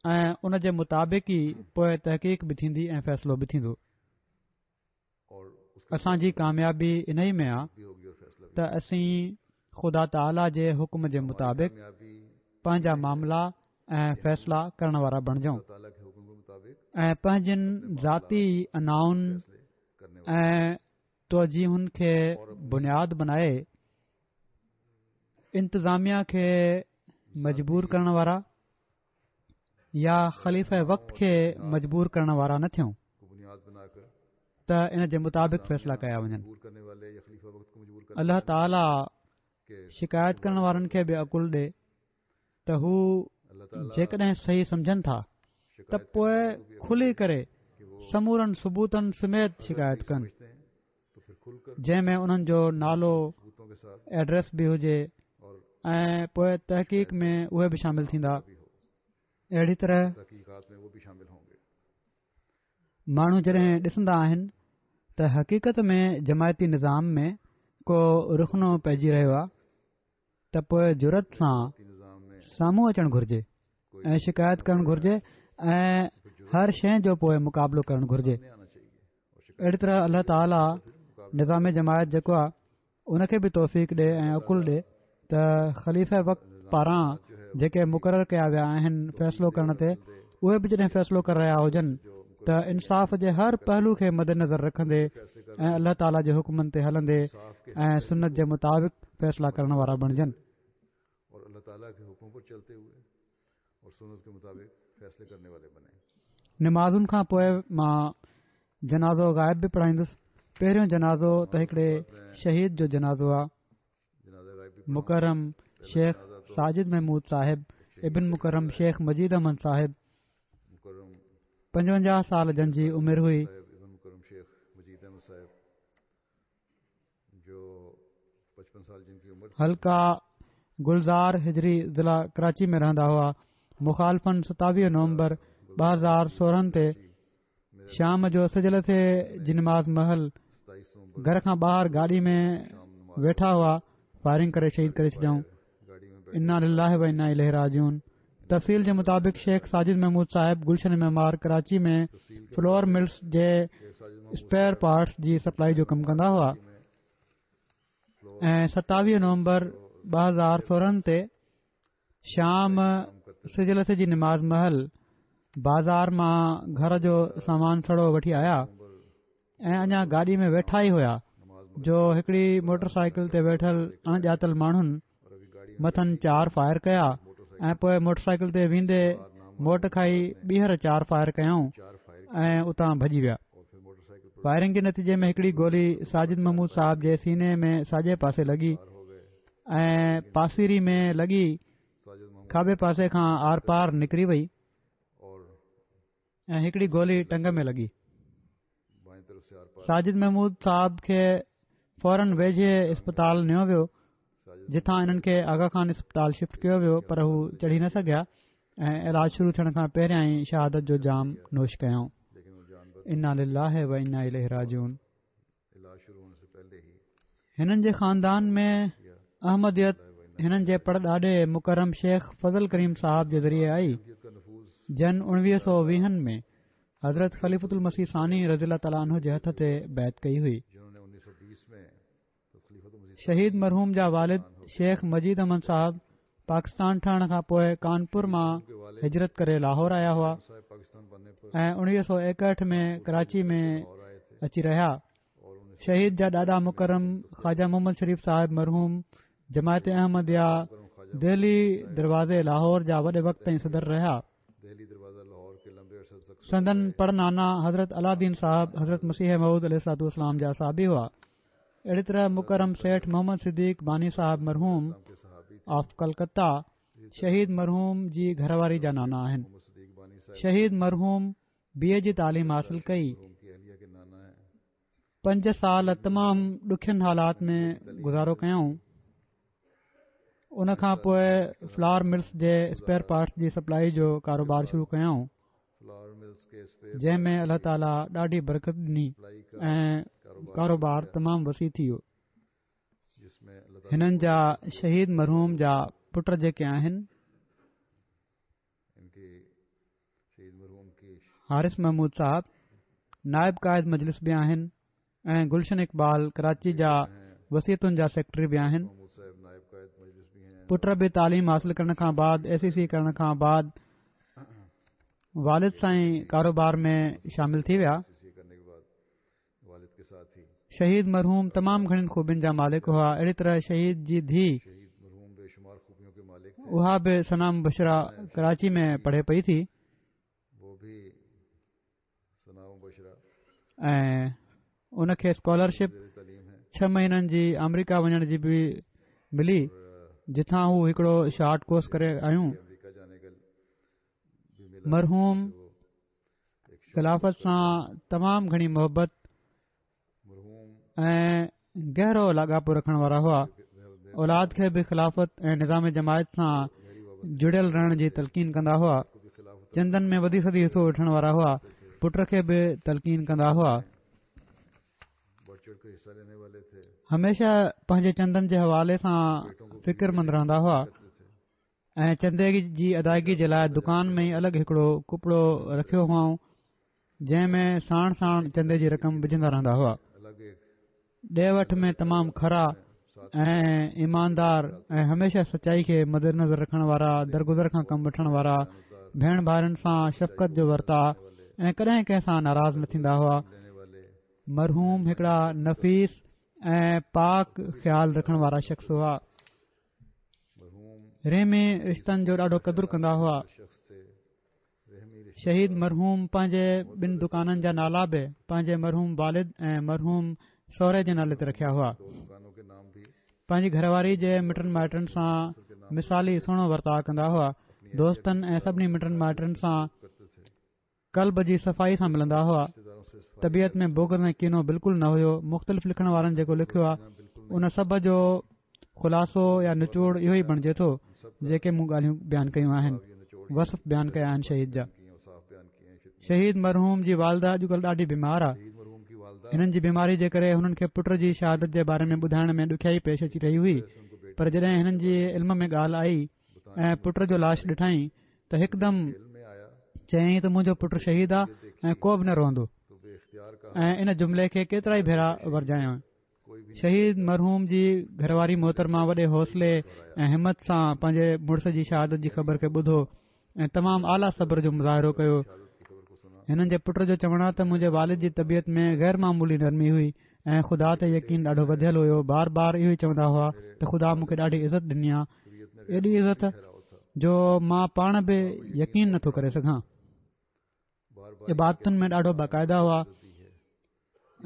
۽ ان جي مطابق ئي پوء تحقيق به ٿيندي ۽ فيصلو به ٿيندو. اسان جي ڪاميابي انهي ۾ آ ته اسين خدا تعاليٰ جي حڪم جي مطابق پنهنجا معاملا ۽ فيصلا ڪرڻ وارا بڻجون ۽ پنهنجين ذاتي انائن ۽ توجيهن کي بنياد بنائي انتظاميا کي مجبور ڪرڻ وارا يا خليفه وقت کي مجبور ڪرڻ وارا نه ٿيون ته ان جي مطابق فيصلا ڪيا وڃن. الله تعاليٰ شڪايت ڪرڻ وارن کي به عقل ڏي ته هو جيڪڏهن صحيح سمجهن ٿا ته پوء کلي ڪري سمورن ثبوتن سميت شڪايت ڪن. جنهن ۾ انهن جو نالو ايڊريس به هجي ۽ پوء تحقيق ۾ اهي به شامل ٿيندا اهڙي طرح ماڻهو جڏهن ڏسندا آهن ته حقيقت ۾ جماعتي نظام ۾ ڪو رخنو پئجي رهيو آهي ته پوء جرئت سان سامهون اچڻ گهرجي ۽ شڪايت ڪرڻ گهرجي ۽ هر شيء جو پوء مقابلو ڪرڻ گهرجي اهڙي طرح الله تعاليٰ نظام جماعت جيڪو آهي ان کي به توفيق ڏي ۽ عقل ڏي ته خليفه وقت پاران جيڪي مقرر ڪيا ويا آهن فيصلو ڪرڻ تي اهي به جڏهن فيصلو ڪري رهيا هجن ته انصاف جي هر پهلو کي مدنظر رکندي ۽ الله تعاليٰ جي حڪمن تي هلندي ۽ سنت جي مطابق فيصلا ڪرڻ وارا بڻجن. نمازن کان پوء مان جنازو غائب به پڙهائيندس. پهريون جنازو ته هڪڙي شهيد جو جنازو آ. مڪرم شيخ ساجد محمود صاحب ابن مڪرم شيخ مجيد احمد صاحب 55 سال جن جي عمر هئي. حلقه گلزار هجري ضلع ڪراچي ۾ رهندا هئا. مخالفن 27 نومبر 2016 تي شام جو سج لٿي جي نماز مهل گهر کان ٻاهر گاڏي ۾ ويٺا هئا فائرنگ ڪري شهيد ڪري ڇڏيائون انا لله و انا اليه راجعون تفصيل جي مطابق شيخ ساجد محمود صاحب گلشن معمار ڪراچي ۾ فلور ملز جي اسپيئر پارٽس جي سپلائي جو ڪم ڪندا هئا ۽ 27 نومبر 2016 تي شام سج لٿي جي نماز مهل بازار مان گهر جو سامان سڙو وٺي آيا ۽ اڃا گاڏي ۾ ويٺا ئي هيا جو هڪڙي موٽر سائيڪل تي ويٺل اڻ ڄاتل ماڻهن مٿن چار فائر ڪيا ۽ پوء موٽر سائيڪل تي ويندي موٽ کائي ٻيهر چار فائر ڪيائون ۽ اتان ڀڄي ويا فائرنگ جي نتيجي ۾ هڪڙي گولي ساجد محمود صاحب جي سيني ۾ ساڄي پاسي لڳي ۽ پاسيري ۾ لڳي کاٻي پاسي کان آر پار نڪري وئي ۽ هڪڙي گولي ٽنگ ۾ لڳي. ساجد محمود صاحب کي فورن ويجهي اسپتال نيو ويو جتان انهن کي آغا خان اسپتال شفٽ ڪيو ويو پر هو چڙهي نه سگهيا ۽ علاج شروع ٿيڻ کان پهريان ئي شهادت جو جام نوش ڪيائون. انا لله و انا اليه راجعون. هنن جي خاندان ۾ احمديت هنن جي پڙ ڏاڏي مڪرم شيخ فضل ڪريم صاحب جي ذريعي آئي جن اڻويهه سو ويهن ۾ حضرت خليفة المسيح ثاني رضي الله تعالٰي عنه جي هٿ تي بيعت ڪئي هئي. شهيد مرحوم جا والد شيخ مجيد احمد صاحب پاڪستان ٺهڻ کان پوء ڪانپور مان هجرت ڪري لاهور آيا هئا ۽ 1961 ۾ ڪراچي ۾ اچي رهيا. شهيد جا ڏاڏا مڪرم خواجه محمد شريف صاحب مرحوم جماعت احمديه دهلي دروازي لاهور جا وڏي وقت تائين صدر رهيا. سندن پڙ نانا حضرت علاؤالدين صاحب حضرت مسيح موعود عليه الصلوة والسلام جا صحابي هئا. اهڙي طرح مڪرم سيٺ محمد صديق باني صاحب مرحوم آف ڪلڪتا شهيد مرحوم جي گهر واري جا نانا آهن. شهيد مرحوم بي اي جي تعليم حاصل ڪئي. پنج سال تمام ڏکين حالات ۾ گذارو ڪيائون. ان کان پوء فلار ملز جي اسپيئر پارٽس جي سپلائي جو ڪاروبار شروع ڪيائون. جنهن ۾ الله تعاليٰ ڏاڍي برڪت ڏني ۽ ڪاروبار تمام وسيع ٿي ويو. هنن جا شهيد مرحوم جا پٽ جيڪي آهن. حارث محمود صاحب نائب قائد مجلس به آهن ۽ گلشن اقبال ڪراچي جا وصيتن جا سيڪريٽري به آهن. پٽ به تعليم حاصل ڪرڻ کان بعد اي سي سي ڪرڻ کان بعد والد سان ئي ڪاروبار ۾ شامل ٿي ويا. شهيد مرحوم تمام گهڻين خوبين جا مالڪ هئا اهڙي طرح شهيد جي ڌيء اها به ثنا مبشره ڪراچي ۾ پڙهي پئي ٿي ۽ ان کي اسڪالرشپ ڇهه مهينن جي آمريڪا وڃڻ جي به ملي جتان هو هڪڙو شارٽ ڪورس ڪري آيون مرحوم خلافت سان تمام گهڻي محبت ۽ گهرو لاڳاپو رکڻ وارا هئا اولاد کي به خلافت ۽ نظام جماعت سان جڙيل رهڻ جي تلقين ڪندا هئا چندن ۾ وڌي سڌي حصو وٺڻ وارا هئا پٽ کي به تلقين ڪندا هئا هميشه پنهنجي چندن جي حوالي سان فڪرمند رهندا هئا ۽ چندي جي ادائگي جي لاء دڪان ۾ ئي الڳ هڪڙو ڪپڙو رکيو هئائون جنهن ۾ ساڻ ساڻ چندي جي رقم وجهندا رهندا هئا ڏي وٺ ۾ تمام کرا ۽ ايماندار ۽ هميشه سچائي کي مد نظر رکڻ وارا درگذر کان ڪم وٺڻ وارا ڀيڻ ڀائرن سان شفقت جو ورتاء ۽ ڪڏهن ڪنهن سان ناراض نه ٿيندا هئا مرحوم هڪڙا نفيس ۽ پاڪ خيال رکڻ وارا شخص هئا رحمي رشتن جو ڏاڍو قدر ڪندا هئا شهيد مرحوم پنهنجي ٻن دڪانن جا نالا به پنهنجي مرحوم والد ۽ مرحوم سهري جي نالي تي رکيا هئا پنهنجي گهر واري جي مٽن مائٽن سان مثالي سهڻو ورتاء ڪندا هئا دوستن ۽ سڀني مٽن مائٽن سان قلب جي صفائي سان ملندا هئا. طبيعت ۾ بغض ۽ ڪينو بلڪل نه هيو. مختلف لکڻ وارن جيڪو لکيو آهي ان سڀ جو خلاصو يا نچوڙ اهو ئي بڻجي ٿو جيڪي مون ڳالهيون بيان ڪيون آهن وصف بيان ڪيا آهن شهيد جا. شهيد مرحوم جي والده اڄڪلهه ڏاڍي بيمار آهي. هنن جي بيماري جي ڪري هنن کي پٽ جي شهادت جي باري ۾ ٻڌائڻ ۾ ڏکيائي پيش اچي رهي هئي پر جڏهن هنن جي علم ۾ ڳالهه آئي ۽ پٽ جو لاش ڏٺائين ته هڪدم چيائين ته منهنجو پٽ شهيد آ ۽ ڪو به نه روئندو ۽ ان جملي کي ڪيترائي ڀيرا ورجايائين شهيد مرحوم جي گهرواري محترمه وڏي حوصلي ۽ همت سان پنهنجي مڙس جي شهادت جي خبر کي ٻڌو ۽ تمام اعليٰ صبر جو مظاهرو ڪيو. هنن جي پٽ جو چوڻ آهي ته منهنجي والد جي طبيعت ۾ غير معمولي نرمي هئي ۽ خدا تي يقين ڏاڍو وڌيل هيو بار بار اهو ئي چوندا هئا ته خدا مون کي ڏاڍي عزت ڏني آهي ايڏي عزت جو مان پاڻ به يقين نٿو ڪري سگهان عبادتن ۾ ڏاڍو باقاعده هئا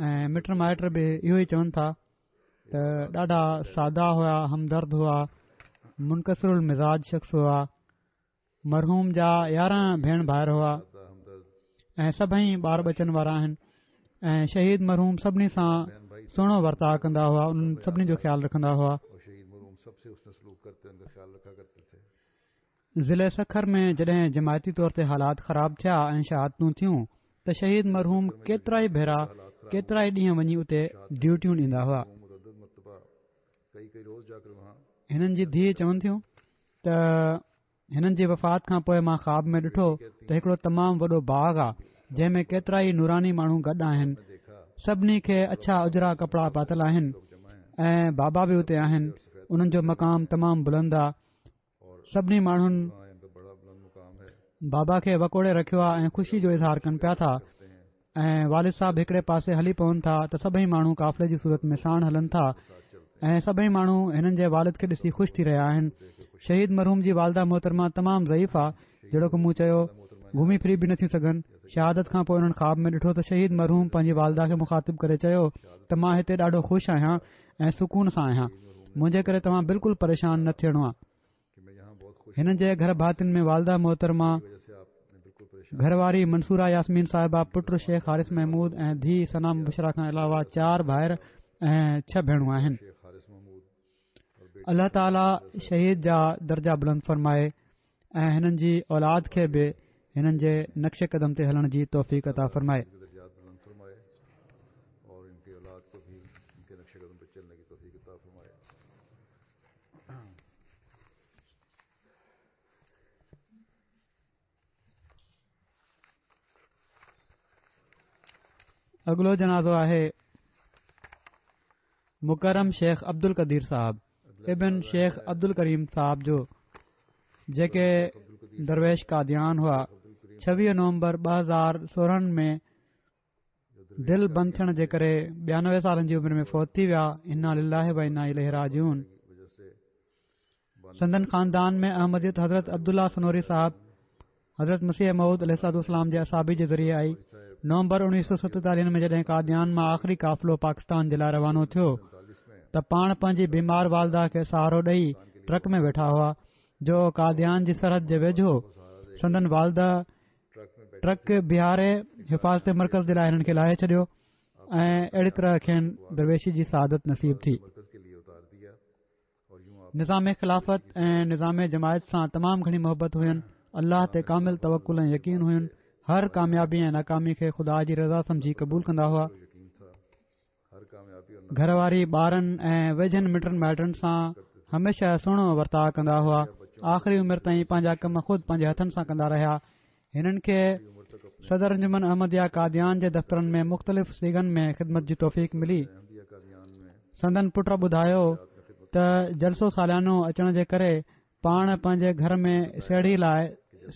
۽ مٽ مائٽ به اهو ئي چون ٿا ته ڏاڍا سادا هئا همدرد هئا منڪسر المزاج شخص هئا مرحوم جا 11 ڀيڻ ڀائر هئا ۽ سڀئي ٻار ٻچن وارا آهن ۽ شهيد مرحوم سڀني سان سهڻو ورتاء ڪندا هئا انهن سڀني جو خيال رکندا هئا ضلعي سکر ۾ جڏهن جماعتي طور تي حالات خراب ٿيا ۽ شهادتون ٿيون ته شهيد مرحوم ڪيترائي ڀيرا ڪيترائي ڏينهن وڃي اتي ڊيوٽيون ڏيندا هئا. هنن جي ڌيء چون ٿيون ته هنن جي وفات کان پوء مان خواب ۾ ڏٺو ته هڪڙو تمام وڏو باغ آ جنهن ۾ ڪيترائي نوراني ماڻهو گڏ آهن سڀني کي اڇا اجرا ڪپڙا پاتل آهن ۽ بابا به اتي آهن انهن جو مقام تمام بلند آ سڀني ماڻهن بابا کي وڪوڙي رکيو آهي ۽ خوشي جو اظهار ڪن پيا ٿا ۽ والد صاحب هڪڙي پاسي هلي پون ٿا ته سڀئي ماڻهو قافلي جي صورت ۾ ساڻ هلن ٿا ۽ سڀئي ماڻهو هنن جي والد کي ڏسي خوش ٿي رهيا آهن شهيد مرحوم جي والده محترمه تمام ضعيف آ جهڙوڪ مون چيو گهمي ڦري به نٿيون سگهن شهادت کان پوء انهن خواب ۾ ڏٺو ته شهيد مرحوم پنهنجي والده کي مخاطب ڪري چيو ته مان هتي ڏاڍو خوش آهيان ۽ سڪون سان آهيان منهنجي ڪري توهان بلڪل پريشان نه ٿيڻو آ هنن جي گهر ڀاتين ۾ والده محترمه گهر واري منصوره ياسمين صاحبه پٽ شيخ حارث محمود ۽ ڌيء ثنا مبشره کان علاوه چار ڀائر ۽ ڇهه ڀيڻون آهن الله تعالي شهيد جا درجا بلند فرمائي ۽ هنن جي اولاد کي به هنن جي نقش قدم تي هلڻ جي توفيق عطا فرمائي. اڳلو جنازو آهي مڪرم شيخ عبدالقدير صاحب ابن شيخ عبدالڪريم صاحب جو جيڪي درويش قاديان هئا 26 نومبر 2016 ۾ دل بند ٿيڻ جي ڪري 92 سالن جي عمر ۾ فوت ٿي ويا انا لله و انا اليه راجعون سندن خاندان ۾ احمديت حضرت عبدالله سنوري صاحب حضرت مسيح موعود عليه الصلوة والسلام جي اصحابي جي ذريعي آئي. نومبر 1947 ۾ جڏهن قاديان مان آخري قافلو پاڪستان جي لاء روانو ٿيو ته پاڻ پنهنجي بيمار والده کي سهارو ڏئي ٽرڪ ۾ ويٺا هئا جو قاديان جي سرحد جي ويجهو سندن والده ٽرڪ بيهاري حفاظت مرڪز جي لاء هنن کي لاهي ڇڏيو ۽ اهڙي طرح کين درويشي جي سعادت نصيب ٿي. نظام خلافت ۽ نظام جماعت سان تمام گهڻي محبت هين الله تي ڪامل توڪل ۽ يقين هين هر ڪاميابي ۽ ناڪامي کي خدا جي رضا سمجهي قبول ڪندا هئا گهر واري ٻارن ۽ ويجهن مٽن مائٽن سان هميشه سهڻو ورتاء ڪندا هئا آخري عمر تائين پنهنجا ڪم خود پنهنجي هٿن سان ڪندا رهيا هنن کي صدر انجمن احمديه قاديان جي دفترن ۾ مختلف صيغن ۾ خدمت جي توفيق ملي. سندن پٽ ٻڌايو ته جلسو ساليانو اچڻ جي ڪري پاڻ پنهنجي گهر ۾ سيڙهي لاء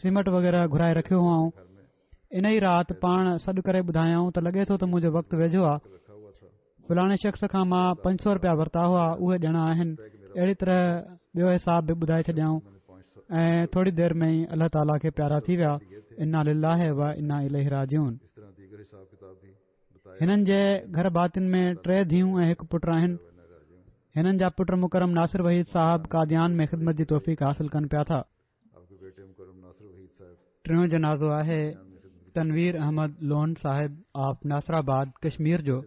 سيمٽ وغيره گهرائي رکيو هئائون. ان ئي رات پاڻ سڏ ڪري ٻڌايائون ته لڳي ٿو ته منهنجو وقت ويجهو آ. فلاڻي شخص کان مان 500 رپيا ورتا هئا اهي ڏيڻا آهن اهڙي طرح ٻيو حساب به ٻڌائي ڇڏيائون ۽ ٿوري دير ۾ ئي الله تعاليٰ کي پيارا ٿي ويا انا لله و انا اليه راجعون هنن جي گهر ڀاتين ۾ ٽي ڌيئون ۽ هڪ پٽ آهن هنن جا پٽ مڪرم ناصر وحيد صاحب قاديان ۾ خدمت جي توفيق حاصل ڪن پيا ٿا ٽيون جنازو آهي تنوير احمد لون صاحب آف ناصر آباد ڪشمير جو.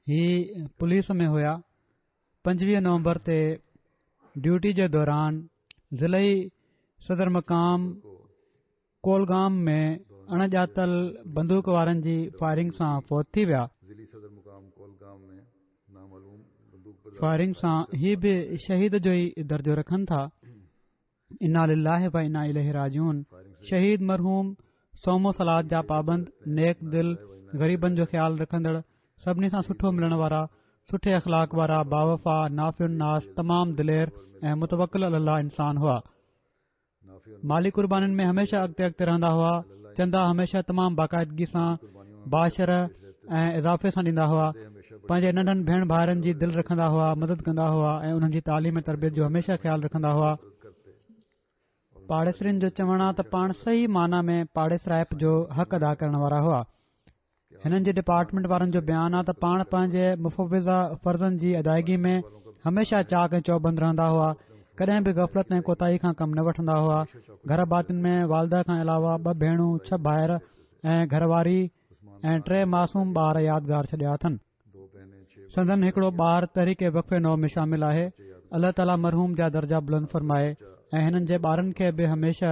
هي پوليس ۾ هيا. 25 نومبر تي ڊيوٽي جي دوران ضلعي صدر مقام ڪولگام ۾ اڻ ڄاتل بندوق وارن جي فائرنگ سان فوت ٿي ويا. فائرنگ سان هي به شهيد جو ئي درجو رکن ٿا. انا لله و انا اليه راجعون شهيد مرحوم صوم و صلوة جا پابند، نيڪ دل، غريبن جو خيال رکندڙ، سڀني سان سٺو ملڻ وارا، سٺي اخلاق وارا، باوفا، نافع الناس، تمام دلير ۽ متوڪل علي الله انسان هئا. مالي قربانين ۾ هميشه اڳتي اڳتي رهندا هئا چندا هميشه تمام باقاعدگي سان باشرح ۽ اضافي سان ڏيندا هئا پنهنجي ننڍن ڀيڻ ڀائرن جي دل رکندا هئا مدد ڪندا هئا ۽ انهن جي تعليم ۽ تربيت جو هميشه خيال رکندا هئا پاڙيسرين جو چوڻ آ ته پاڻ صحيح معنيٰ ۾ پاڙيسرائپ جو حق ادا ڪرڻ وارا هئا هنن جي ڊپارٽمينٽ وارن جو بيان آ ته پاڻ پنهنجي مفوضه فرضن جي ادائگي ۾ هميشه چاق ۽ چوبند رهندا هئا ڪڏهن به غفلت ۽ ڪوتاهي کان ڪم نه وٺندا هئا گهر ڀاتين ۾ والده کان علاوه ٻه ڀيڻون ڇهه ڀائر ۽ گهر واري ۽ ٽي معصوم ٻار يادگار ڇڏيا اٿن سندن هڪڙو ٻار تحريڪ وقف نو ۾ شامل آهي الله تعالي مرحوم جا درجا بلند فرمائي ۽ هنن جي ٻارن کي به هميشه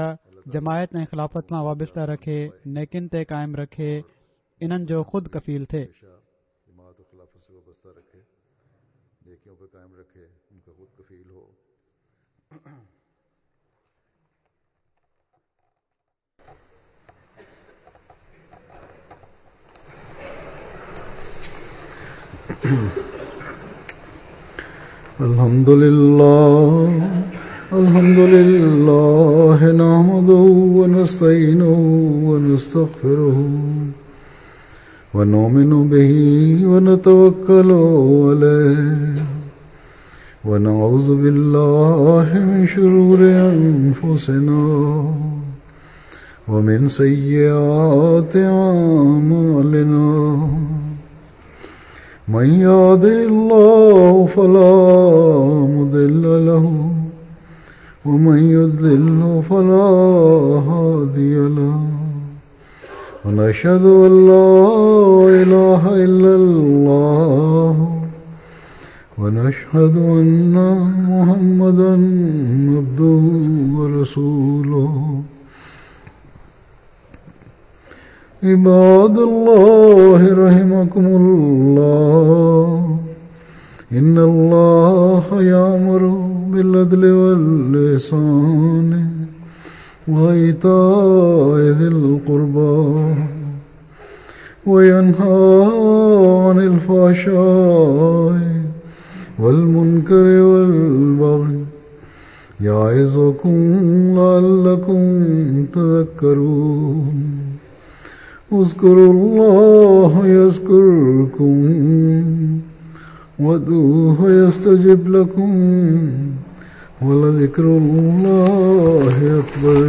جماعت ۽ خلافت سان وابسته رکي نيڪين تي قائم رکي انهن جو خود ڪفيل ٿئي. الحمد لله الحمد لله نحمده ونستعينه ونستغفره ونؤمن به ونتوكل عليه ونعوذ بالله من شرور أنفسنا ومن سيئات أعمالنا من يهده الله فلا مضل له ومن يضلل فلا هادي له ونشهد أن لا إله إلا الله ونشهد أن محمدا عبده ورسوله. عباد الله رحمكم الله، إن الله يأمر بالعدل والإحسان وإيتاء ذي القربى وينهى عن الفحشاء والمنكر والبغي يعظكم لعلكم تذكرون. اذكروا الله يذكركم وادعوه يستجب لكم ولذكر الله أكبر.